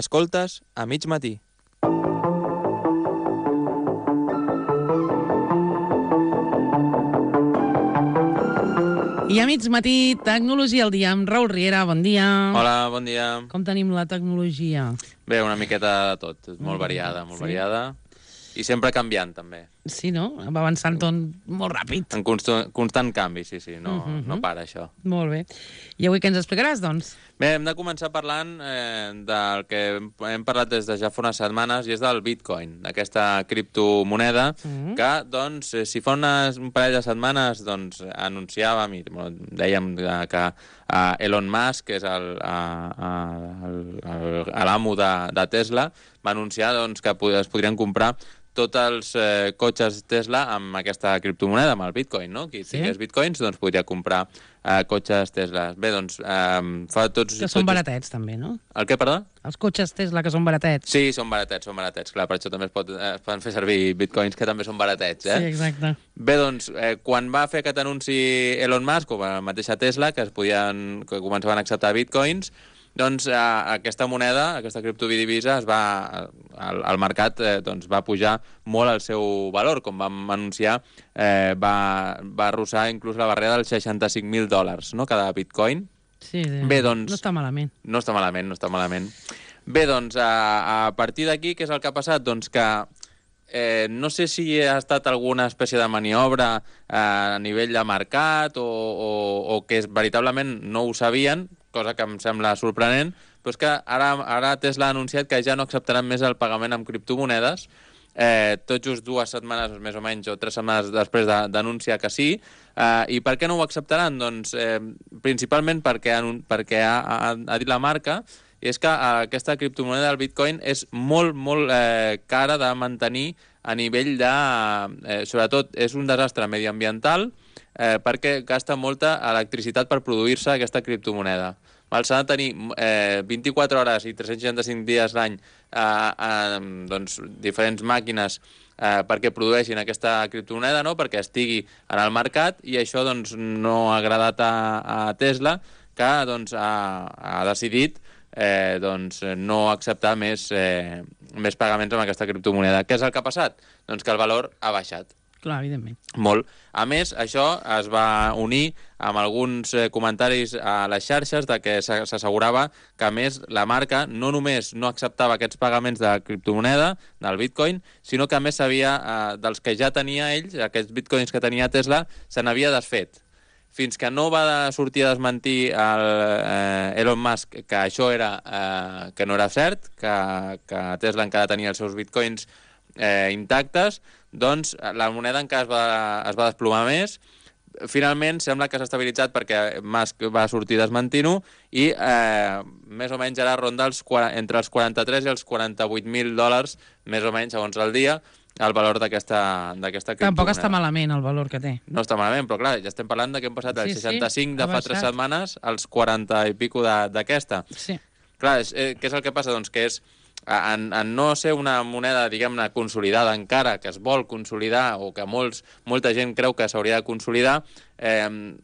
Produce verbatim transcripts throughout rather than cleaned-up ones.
Escoltes a mig matí. I a mig matí, Tecnologia al dia amb Raül Riera. Bon dia. Hola, bon dia. Com tenim la tecnologia? Bé, una miqueta de tot. Molt variada, molt Sí? variada. I sempre canviant, també. Sí, no? Va avançant tot molt ràpid. En constant, constant canvi, sí, sí. No, Mhm. no para, això. Molt bé. I avui què ens explicaràs, doncs? Bé, hem de començar parlant eh, del que hem parlat des de ja fa unes setmanes, i és del Bitcoin, d'aquesta criptomoneda, Mhm. que, doncs, eh, si fa unes, un parell de setmanes, doncs, anunciàvem i bueno, dèiem que, que uh, Elon Musk, que és el, uh, el, el, l'amo de, de Tesla, va anunciar doncs, que es podrien comprar tots els eh, cotxes Tesla amb aquesta criptomoneda, amb el Bitcoin, no? Qui Sí. tingués Bitcoins, doncs podria comprar eh, cotxes Tesla. Bé, doncs, eh, fa tots... Que són tots... baratets, també, no? El què, perdó? Els cotxes Tesla, que són baratets. Sí, són baratets, són baratets. Clar, per això també es, pot, eh, es poden fer servir bitcoins, que també són baratets, eh? Sí, exacte. Bé, doncs, eh, quan va fer aquest anunci Elon Musk, o la mateixa Tesla, que es podien, que començaven a acceptar bitcoins, doncs eh, aquesta moneda, aquesta criptodivisa, es va, al, al mercat eh, doncs, va pujar molt el seu valor. Com vam anunciar, eh, va, va arrossar inclús la barrera dels seixanta-cinc mil dòlars, no?, cada bitcoin. Sí, sí. Bé, doncs... No està malament. No està malament, no està malament. Bé, doncs, a, a partir d'aquí, què és el que ha passat? Doncs que eh, no sé si ha estat alguna espècie de maniobra eh, a nivell de mercat o, o, o que veritablement no ho sabien, cosa que em sembla sorprenent, però és que ara, ara Tesla ha anunciat que ja no acceptaran més el pagament amb criptomonedes, eh, tot just dues setmanes, més o menys, o tres setmanes després d'anunciar que sí. Eh, I per què no ho acceptaran? Doncs eh, principalment perquè, perquè ha, ha, ha dit la marca, i és que eh, aquesta criptomoneda del Bitcoin és molt, molt eh, cara de mantenir a nivell de... Eh, sobretot, és un desastre mediambiental eh, perquè gasta molta electricitat per produir-se aquesta criptomoneda. S'ha de tenir eh, vint-i-quatre hores i tres-cents seixanta-cinc dies l'any eh, eh, doncs, diferents màquines eh, perquè produeixin aquesta criptomoneda, no?, perquè estigui en el mercat, i això doncs, no ha agradat a, a Tesla, que doncs, ha, ha decidit eh, doncs, no acceptar més, eh, més pagaments amb aquesta criptomoneda. Què és el que ha passat? Doncs que el valor ha baixat. Clar, evidentment. Molt. A més, això es va unir amb alguns eh, comentaris a les xarxes de que s'assegurava que, a més, la marca no només no acceptava aquests pagaments de criptomoneda, del Bitcoin, sinó que, a més, sabia eh, dels que ja tenia ells, aquests bitcoins que tenia Tesla, se n'havia desfet. Fins que no va sortir a desmentir el, eh, Elon Musk que això era, eh, que no era cert, que, que Tesla encara tenia els seus bitcoins eh, intactes, doncs la moneda encara es va, es va desplomar més. Finalment sembla que s'ha estabilitzat perquè Musk va sortir desmentint-ho, i eh, més o menys ara ronda els, entre els quaranta-tres i els quaranta-vuit mil dòlars, més o menys, segons el dia, el valor d'aquesta criptomoneda. Tampoc està malament el valor que té. No està malament, però clar, ja estem parlant de que hem passat dels Sí, sí, seixanta-cinc ha de fa tres baixat. setmanes als quaranta i pico de- d'aquesta. Sí. Clar, és, eh, què és el que passa? Doncs que és, en, en no ser una moneda, diguem-ne, consolidada encara, que es vol consolidar, o que molts, molta gent creu que s'hauria de consolidar, eh,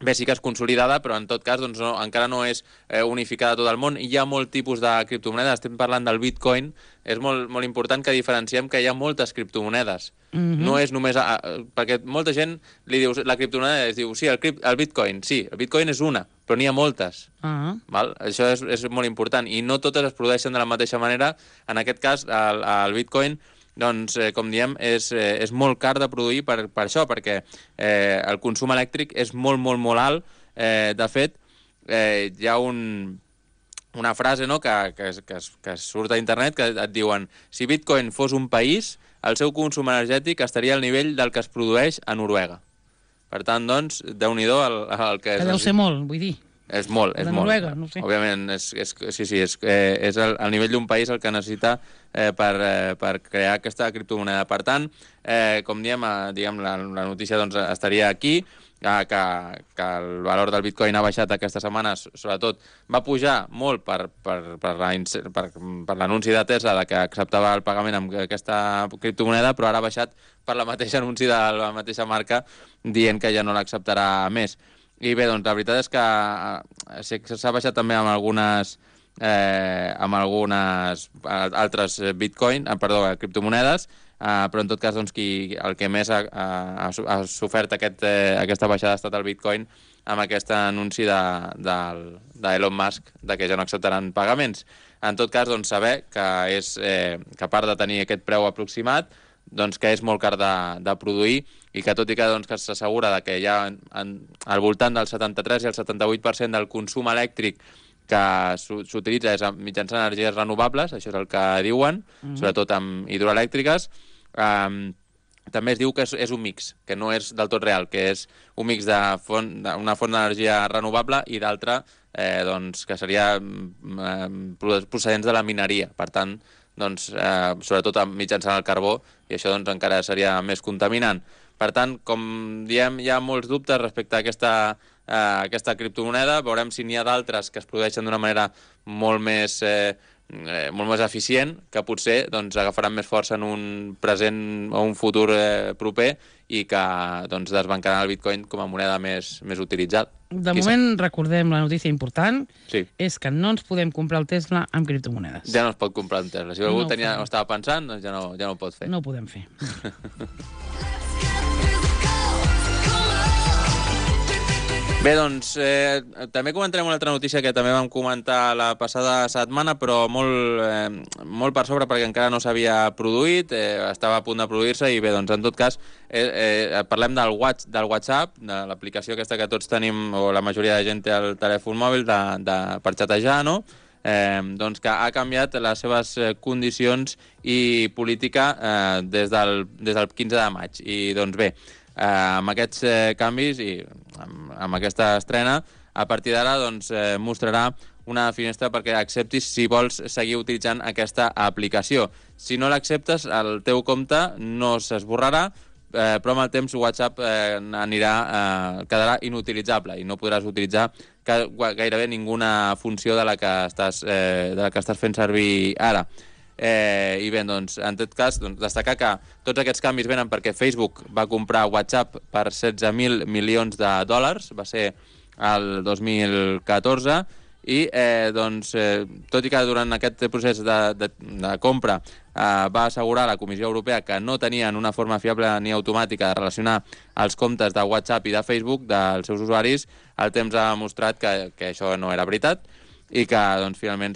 bé, sí que és consolidada, però en tot cas doncs, no, encara no és eh, unificada a tot el món. Hi ha molt tipus de criptomonedes, estem parlant del Bitcoin, és molt, molt important que diferenciem que hi ha moltes criptomonedes. Mhm. No és només... A, a, perquè molta gent li diu, la criptomoneda es diu, sí, el, crip, el Bitcoin, sí, el Bitcoin és una, però n'hi ha moltes. Ah. Val? Això és, és molt important, i no totes es produeixen de la mateixa manera. En aquest cas, el, el Bitcoin, doncs, eh, com diem, és, eh, és molt car de produir per, per això, perquè eh, el consum elèctric és molt, molt, molt alt. Eh, de fet, eh, hi ha un, una frase, no?, que, que, que, que surt a internet, que et diuen: si Bitcoin fos un país, el seu consum energètic estaria al nivell del que es produeix a Noruega. Per tant, doncs, déu-n'hi-do el, el que... Que és, deu ser molt, vull dir. És molt, és de molt. Noruega, no ho sé. Òbviament, és, és, sí, sí, és, eh, és el, el nivell d'un país el que necessita eh, per, eh, per crear aquesta criptomoneda. Per tant, eh, com diem, eh, diguem, la, la notícia doncs, estaria aquí, eh, que, que el valor del Bitcoin ha baixat aquestes setmanes, sobretot va pujar molt per, per, per l'anunci la, per, per de Tesla de que acceptava el pagament amb aquesta criptomoneda, però ara ha baixat per la mateixa anunci de la mateixa marca dient que ja no l'acceptarà més. I bé, doncs la veritat és que s'ha baixat també amb algunes eh, amb algunes altres bitcoin, eh, perdó, criptomonedes, eh, però en tot cas doncs, qui, el que més ha, ha, ha sofert aquest, eh, aquesta baixada ha estat el bitcoin amb aquest anunci de, de, d'Elon Musk de que ja no acceptaran pagaments. En tot cas, doncs, saber que, és, eh, que a part de tenir aquest preu aproximat, doncs, que és molt car de, de produir i que tot i que, doncs, que s'assegura de que hi ha en, al voltant del setanta-tres i el setanta-vuit per cent del consum elèctric que s'utilitza és mitjançant energies renovables, això és el que diuen, mm-hmm. sobretot amb hidroelèctriques. Um, també es diu que és, és un mix, que no és del tot real, que és un mix de font, d'una font d'energia renovable i d'altra eh, doncs, que seria eh, procedents de la mineria. Per tant, doncs, eh, sobretot mitjançant el carbó, i això doncs, encara seria més contaminant. Per tant, com diem, hi ha molts dubtes respecte a aquesta, eh, aquesta criptomoneda. Veurem si n'hi ha d'altres que es produeixen d'una manera molt més, eh, eh, molt més eficient, que potser doncs, agafaran més força en un present o un futur eh, proper i que doncs, desbancaran el bitcoin com a moneda més, més utilitzada. De Qui moment, sap? Recordem la notícia important, sí. és que no ens podem comprar el Tesla amb criptomonedes. Ja no es pot comprar un Tesla. Si algú no tenia, ho estava pensant, doncs ja no, ja no ho pot fer. No ho podem fer. Bé, doncs, eh, també comentarem una altra notícia que també vam comentar la passada setmana, però molt, eh, molt per sobre perquè encara no s'havia produït, eh, estava a punt de produir-se i bé, doncs, en tot cas, eh, eh, parlem del, watch, del WhatsApp, de l'aplicació aquesta que tots tenim, o la majoria de gent té al telèfon mòbil de, de, per xatejar, no? Eh, doncs que ha canviat les seves condicions i política eh, des, del, des del quinze de maig. I doncs bé, Eh, amb aquests eh, canvis i amb, amb aquesta estrena, a partir d'ara doncs, eh, mostrarà una finestra perquè acceptis si vols seguir utilitzant aquesta aplicació. Si no l'acceptes, el teu compte no s'esborrarà, eh, però amb el temps WhatsApp eh, anirà, eh, quedarà inutilitzable i no podràs utilitzar gairebé ninguna funció de la que estàs, eh, de la que estàs fent servir ara. Eh, I bé, doncs, en tot cas, doncs, destacar que tots aquests canvis venen perquè Facebook va comprar WhatsApp per setze mil milions de dòlars, va ser el dos mil catorze, i eh, doncs, eh, tot i que durant aquest procés de, de, de compra eh, va assegurar la Comissió Europea que no tenien una forma fiable ni automàtica de relacionar els comptes de WhatsApp i de Facebook dels seus usuaris, el temps ha demostrat que, que això no era veritat, i que doncs, finalment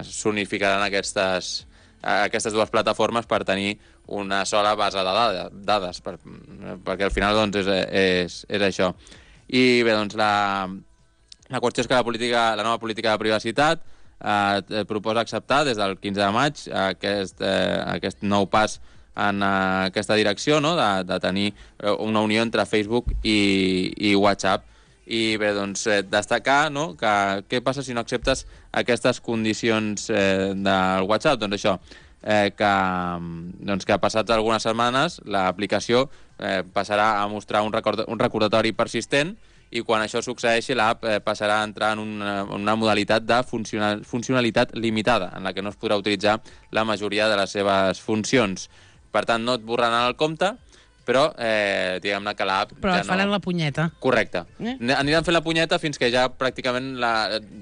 s'unificaran aquestes, aquestes dues plataformes per tenir una sola base de dades, per, perquè al final doncs, és, és, és això. I bé, doncs, la, la qüestió és que la, política, la nova política de privacitat eh, proposa acceptar des del quinze de maig aquest, eh, aquest nou pas en eh, aquesta direcció, no? de, de tenir una unió entre Facebook i, i WhatsApp. I bé, doncs, eh, destacar, no?, que què passa si no acceptes aquestes condicions eh, del WhatsApp? Doncs això, eh, que, doncs, que passats algunes setmanes l'aplicació eh, passarà a mostrar un, record, un recordatori persistent i quan això succeeixi l'app eh, passarà a entrar en una, una modalitat de funcional, funcionalitat limitada, en la que no es podrà utilitzar la majoria de les seves funcions. Per tant, no et borraran el compte, però eh, diguem-ne que l'app Però ja et faran no... la punyeta. Correcte. Eh? Aniran fent la punyeta fins que ja pràcticament la...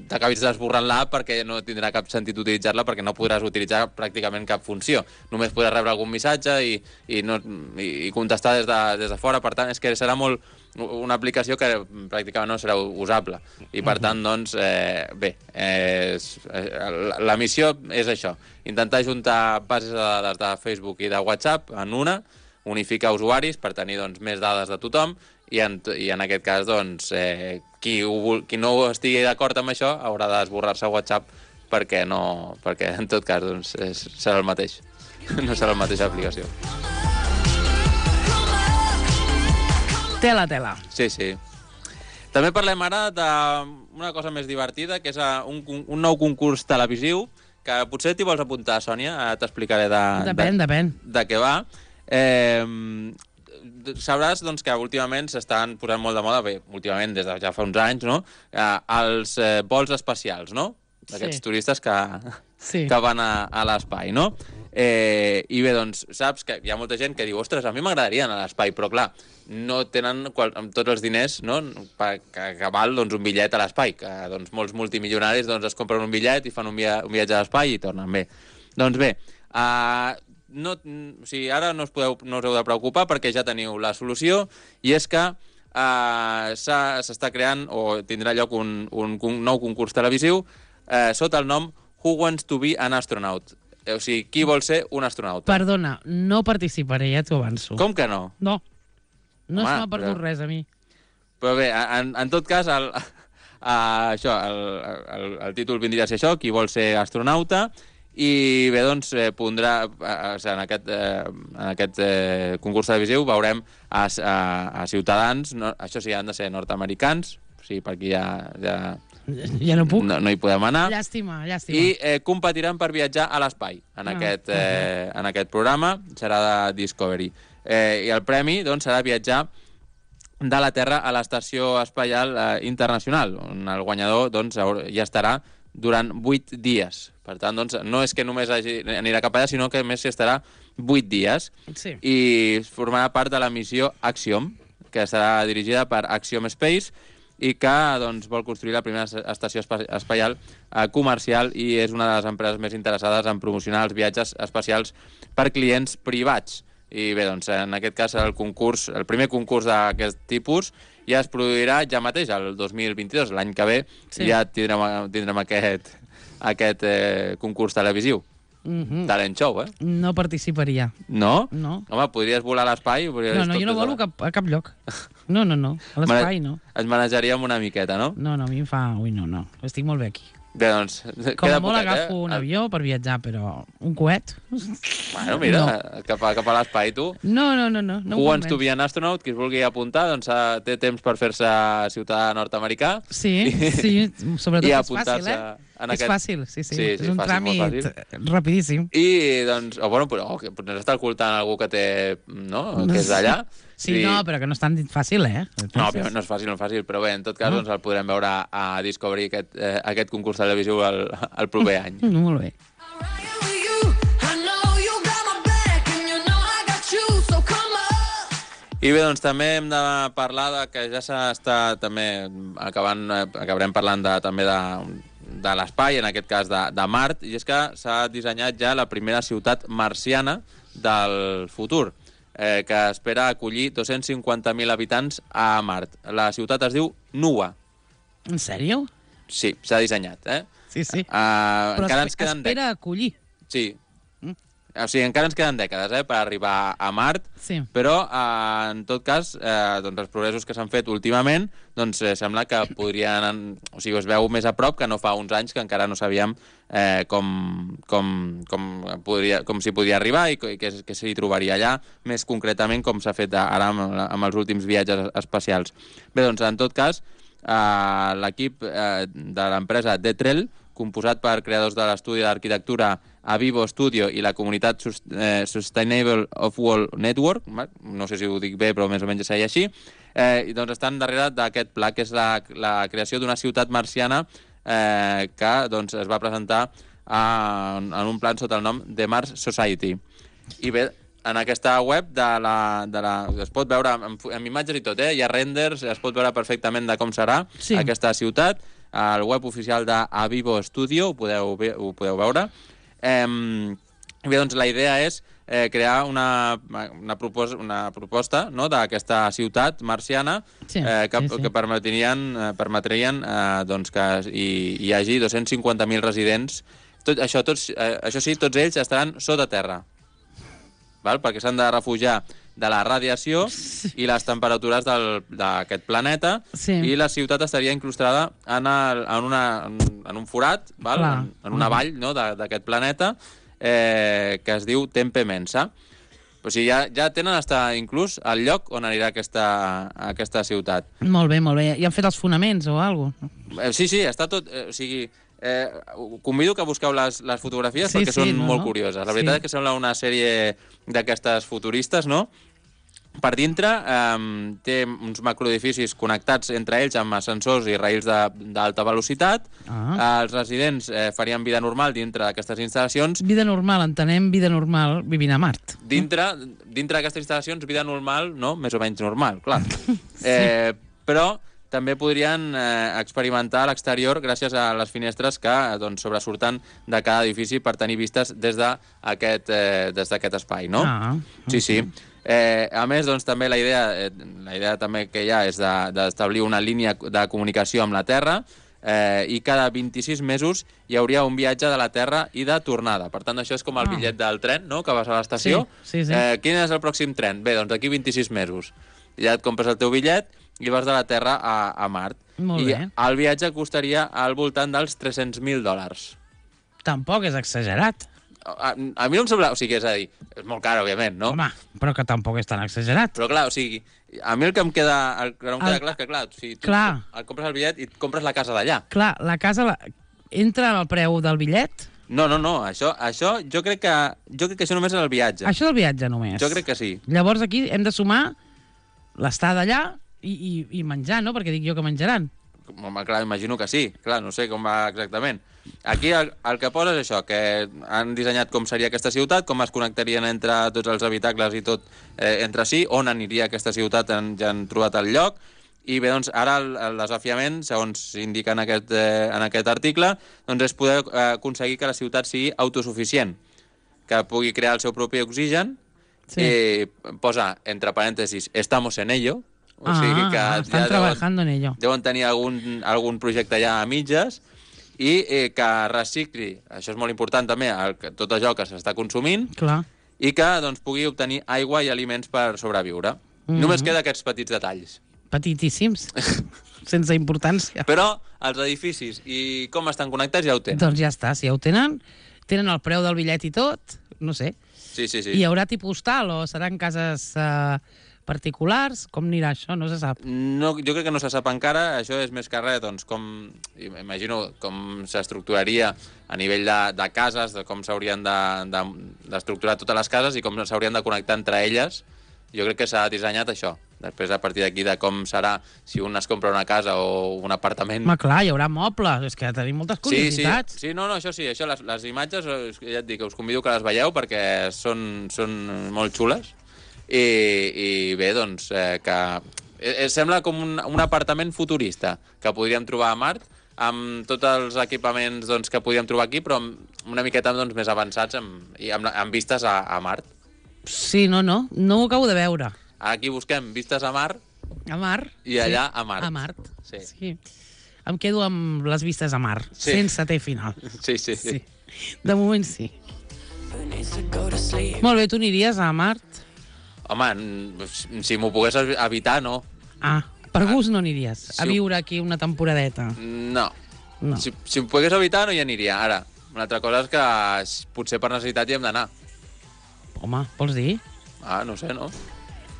t'acabis desborrant l'app perquè no tindrà cap sentit utilitzar-la, perquè no podràs utilitzar pràcticament cap funció. Només podràs rebre algun missatge i, i, no, i, i contestar des de, des de fora. Per tant, és que serà molt una aplicació que pràcticament no serà usable. I per tant, doncs, eh, bé, eh, és, eh, la missió és això. Intentar juntar bases de dades de Facebook i de WhatsApp en una, unificar usuaris per tenir doncs, més dades de tothom i en, i en aquest cas doncs, eh, qui, ho, qui no estigui d'acord amb això haurà d'esborrar-se WhatsApp perquè, no, perquè en tot cas doncs, és, serà el mateix. No serà la mateixa aplicació. Tela, tela. Sí, sí. També parlem ara d'una cosa més divertida, que és un, un nou concurs televisiu que potser t'hi vols apuntar, Sònia, t'explicaré de, depèn, de, depèn. de què va. Eh, sabràs doncs, que últimament s'estan posant molt de moda, bé, últimament des de ja fa uns anys, no? Eh, els eh, vols espacials, no? D'aquests sí. turistes que, sí. que van a, a l'espai, no? Eh, I bé, doncs, saps que hi ha molta gent que diu, ostres, a mi m'agradaria anar a l'espai, però clar, no tenen qual, amb tots els diners, no?, per, que, que val doncs, un bitllet a l'espai, que doncs, molts multimilionaris doncs, es compren un bitllet i fan un, via, un viatge a l'espai i tornen bé. Doncs bé, uh, no, o sigui, ara no us, podeu, no us heu de preocupar perquè ja teniu la solució, i és que uh, s'està creant o tindrà lloc un, un, un nou concurs televisiu uh, sota el nom Who Wants to be an Astronaut? O sigui, qui vol ser un astronauta? Perdona, no participaré, ja t'ho avanço. Com que no? No. No Home, se m'ha perdut però... res, a mi. Però bé, en, en tot cas, el, a, això, el, el, el títol vindria a ser això, qui vol ser astronauta, i bé, doncs, eh, pondrà, eh, en aquest, eh, en aquest eh, concurs televisiu veurem a, a, a ciutadans, no, això sí, han de ser nord-americans, o sigui, per aquí ja... ja Ja no puc. No, no hi podem anar. Llàstima, llàstima. I eh, competiran per viatjar a l'espai en, ah, aquest, eh, en aquest programa. Serà de Discovery. Eh, I el premi doncs, serà viatjar de la Terra a l'Estació Espacial eh, Internacional, on el guanyador doncs, ja estarà durant vuit dies. Per tant, doncs, no és que només hagi, anirà cap allà, sinó que a més s'hi estarà vuit dies. Sí. I formarà part de la missió Axiom, que serà dirigida per Axiom Space, i que doncs, vol construir la primera estació espacial eh, comercial i és una de les empreses més interessades en promocionar els viatges espacials per clients privats. I bé, doncs, en aquest cas el concurs, el primer concurs d'aquest tipus ja es produirà ja mateix, el dos mil vint-i-dos, l'any que ve, sí. Ja tindrem, tindrem aquest, aquest eh, concurs televisiu. Mm-hmm. Talent show, eh? No participaria. No? No. Home, podries volar a l'espai? No, no, jo no volo cap, a cap lloc. No, no, no. A l'espai no. Ens manejaríem una miqueta, no? No, no, a mi em fa... Ui, no, no. Estic molt bé aquí. Bé, doncs... Com a molt agafo eh? un avió per viatjar, però un coet... Bueno, mira, no. cap a, cap a l'espai, tu. No, no, no, no. no Who wants to be an astronaut? Qui es vulgui apuntar, doncs té temps per fer-se ciutadà nord-americà. Sí, i, sí, sobretot i és fàcil, eh? És aquest... fàcil, sí, sí. sí, sí és un fàcil, tràmit rapidíssim. I, doncs, o bueno, però oh, potser està ocultant algú que té, no?, que és d'allà. Sí, sí, no, però que no és tan fàcil, eh? No, no és fàcil, no és fàcil, però bé, en tot cas no. doncs el podrem veure a Discovery aquest, eh, aquest concurs televisiu el, el proper any. Molt bé. I bé, doncs també hem de parlar de que ja s'està també acabant, acabarem parlant de, també de, de l'espai, en aquest cas de, de Mart, i és que s'ha dissenyat ja la primera ciutat marciana del futur, eh, que espera acollir dos-cents cinquanta mil habitants a Mart. La ciutat es diu Nua. En sèrio? Sí, s'ha dissenyat, eh? Sí, sí. Uh, Però encara es, ens queden espera acollir. Sí. Mm. O sigui, encara ens queden dècades, eh, per arribar a Mart, sí. Però, eh, en tot cas, eh, doncs els progressos que s'han fet últimament, doncs eh, sembla que podrien... O sigui, es veu més a prop que no fa uns anys que encara no sabíem eh, com, com, com, podria, com s'hi podia arribar i què, què s'hi trobaria allà, més concretament com s'ha fet ara amb, amb els últims viatges espacials. Bé, doncs, en tot cas, eh, l'equip eh, de l'empresa Detrel, composat per creadors de l'estudi d'arquitectura Avivo Studio i la comunitat Sustainable of World Network, no sé si ho dic bé, però més o menys seria així, eh, doncs estan darrere d'aquest pla, que és la, la creació d'una ciutat marciana eh, que doncs, es va presentar a, en un plan sota el nom de Mars Society. I bé, en aquesta web de la, de la, es pot veure amb, amb imatges i tot, eh? Hi ha renders, es pot veure perfectament de com serà sí. aquesta ciutat. Al web oficial d'Avivo Studio ho podeu, ho podeu veure. Eh, bé, doncs la idea és eh, crear una, una, propos, una proposta no, d'aquesta ciutat marciana sí, eh, que, sí, sí. que permetrien, eh, permetrien eh, doncs que hi, hi hagi dos-cents cinquanta mil residents. Tot, això, tots, eh, això sí, tots ells estaran sota terra, val? Perquè s'han de refugiar de la radiació i les temperatures d'aquest planeta sí. I la ciutat estaria incrustada en, el, en, una, en un forat, val? En, en una vall no, d'aquest planeta eh, que es diu Tempe Mensa. O sigui, ja, ja tenen hasta inclús el lloc on anirà aquesta, aquesta ciutat. Molt bé, molt bé. I han fet els fonaments o alguna cosa? Eh, sí, sí, està tot... Eh, o sigui, eh, convido que busqueu les, les fotografies sí, perquè sí, són no, molt no? curioses. La veritat sí. és que sembla una sèrie d'aquestes futuristes, no? Per dintre eh, té uns macroedificis connectats entre ells amb ascensors i rails d'alta velocitat. Ah. Eh, els residents eh, farien vida normal dintre d'aquestes instal·lacions. Vida normal, entenem vida normal vivint a Mart. Dintre, dintre d'aquestes instal·lacions, vida normal, no? Més o menys normal, clar. sí. eh, però també podrien eh, experimentar a l'exterior gràcies a les finestres que doncs, sobresurten de cada edifici per tenir vistes des d'aquest eh, des d'aquest espai, no? Ah, sí, sí. Eh, a més, doncs, també la idea, eh, la idea també que hi ha és d'establir de, una línia de comunicació amb la Terra eh, i cada vint-i-sis mesos hi hauria un viatge de la Terra i de tornada. Per tant, això és com el Ah. bitllet del tren, no?, que vas a l'estació. Sí, sí, sí. Eh, quin és el pròxim tren? Bé, doncs d'aquí vint-i-sis mesos. Ja et compres el teu bitllet i vas de la Terra a, a Mart. Molt I bé. el viatge costaria al voltant dels tres-cents mil dòlars. Tampoc és exagerat. A, a mi no em sembla... O sigui, és a dir, és molt car, òbviament, no? Home, però que tampoc és tan exagerat. Però clar, o sigui, a mi el que em queda, el que no em queda El- clar és que, clar, o sigui, tu Clar. et compres el bitllet i et compres la casa d'allà. Clar, la casa la... entra en el preu del bitllet? No, no, no, això, això jo crec que jo crec que això només és el viatge. Això del viatge només. Jo crec que sí. Llavors aquí hem de sumar l'estada allà i, i, i menjar, no? Perquè dic jo que menjaran. Home, clar, imagino que sí. Clar, no sé com va exactament. Aquí el, el que posa és això, que han dissenyat com seria aquesta ciutat, com es connectarien entre tots els habitacles i tot eh, entre si, on aniria aquesta ciutat, en, ja han trobat el lloc. I bé, doncs, ara el, el desafiament, segons s'indica en, aquest, eh, en aquest article, doncs és poder eh, aconseguir que la ciutat sigui autosuficient, que pugui crear el seu propi oxigen, Sí. i posa, entre parèntesis, estamos en ello, o Ah, sigui que estan ja trabajando en ello. deuen tenir algun, algun projecte ja a mitges, i eh, que recicli, això és molt important també, el, que, tot allò que s'està consumint, Clar. i que doncs, pugui obtenir aigua i aliments per sobreviure. Mhm. Només queda aquests petits detalls. Petitíssims. Sense importància. Però els edificis i com estan connectats ja ho tenen. Doncs ja està, si ja ho tenen, tenen el preu del bitllet i tot, no sé. Sí, sí, sí. Hi haurà tipus tal o seran cases eh, particulars? Com anirà això? No se sap. No, jo crec que no se sap encara, això és més que res, doncs, com, imagino com s'estructuraria a nivell de, de cases, de com s'haurien d'estructurar de, de totes les cases i com s'haurien de connectar entre elles. Jo crec que s'ha dissenyat això. Després, a partir d'aquí, de com serà, si un es compra una casa o un apartament... Home, clar, hi haurà mobles, és que tenim moltes Sí, sí, curiositats. sí, no, no, això sí, això, les, les imatges, eh, ja et dic, us convido que les veieu perquè són, són molt xules. I, i bé, doncs, eh, que eh, sembla com un, un apartament futurista que podríem trobar a Mart, amb tots els equipaments doncs, que podríem trobar aquí, però amb una miqueta doncs, més avançats amb, i amb, amb vistes a, a Mart. Sí, no, no, no ho acabo de veure. Aquí busquem vistes a Mart A Mar. i allà sí. a Mart. A Mart. Sí. sí. Em quedo amb les vistes a Mar, Sí. sense T final. Sí, sí, sí. Sí. De moment sí. Molt bé, tu aniries a Mart? Home, n- si m'ho pogués evitar, no. Ah, per gust no aniries a Sí. viure aquí una temporadeta. No. No. Si, si em pogués evitar, no hi aniria. Ara, una altra cosa és que s- potser per necessitat hi hem d'anar. Home, vols dir? Ah, no sé, no?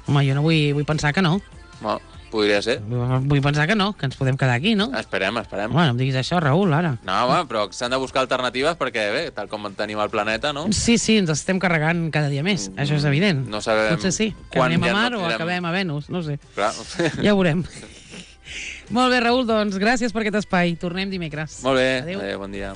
Home, jo no vull, vull pensar que no. no podria ser. Vull pensar que no, que ens podem quedar aquí, no? Esperem, esperem. Home, no em diguis això, Raül, ara. No, home, però s'han de buscar alternatives perquè, bé, tal com tenim el planeta, no? Sí, sí, ens estem carregant cada dia més, això és evident. No sabem Potser sí, que quan anem a ja no Mar o tindrem- acabem a Venus, no ho sé. Clar. Ja ho veurem. Molt bé, Raül, doncs gràcies per aquest espai. Tornem dimecres. Molt bé. Adéu. Adéu, bon dia.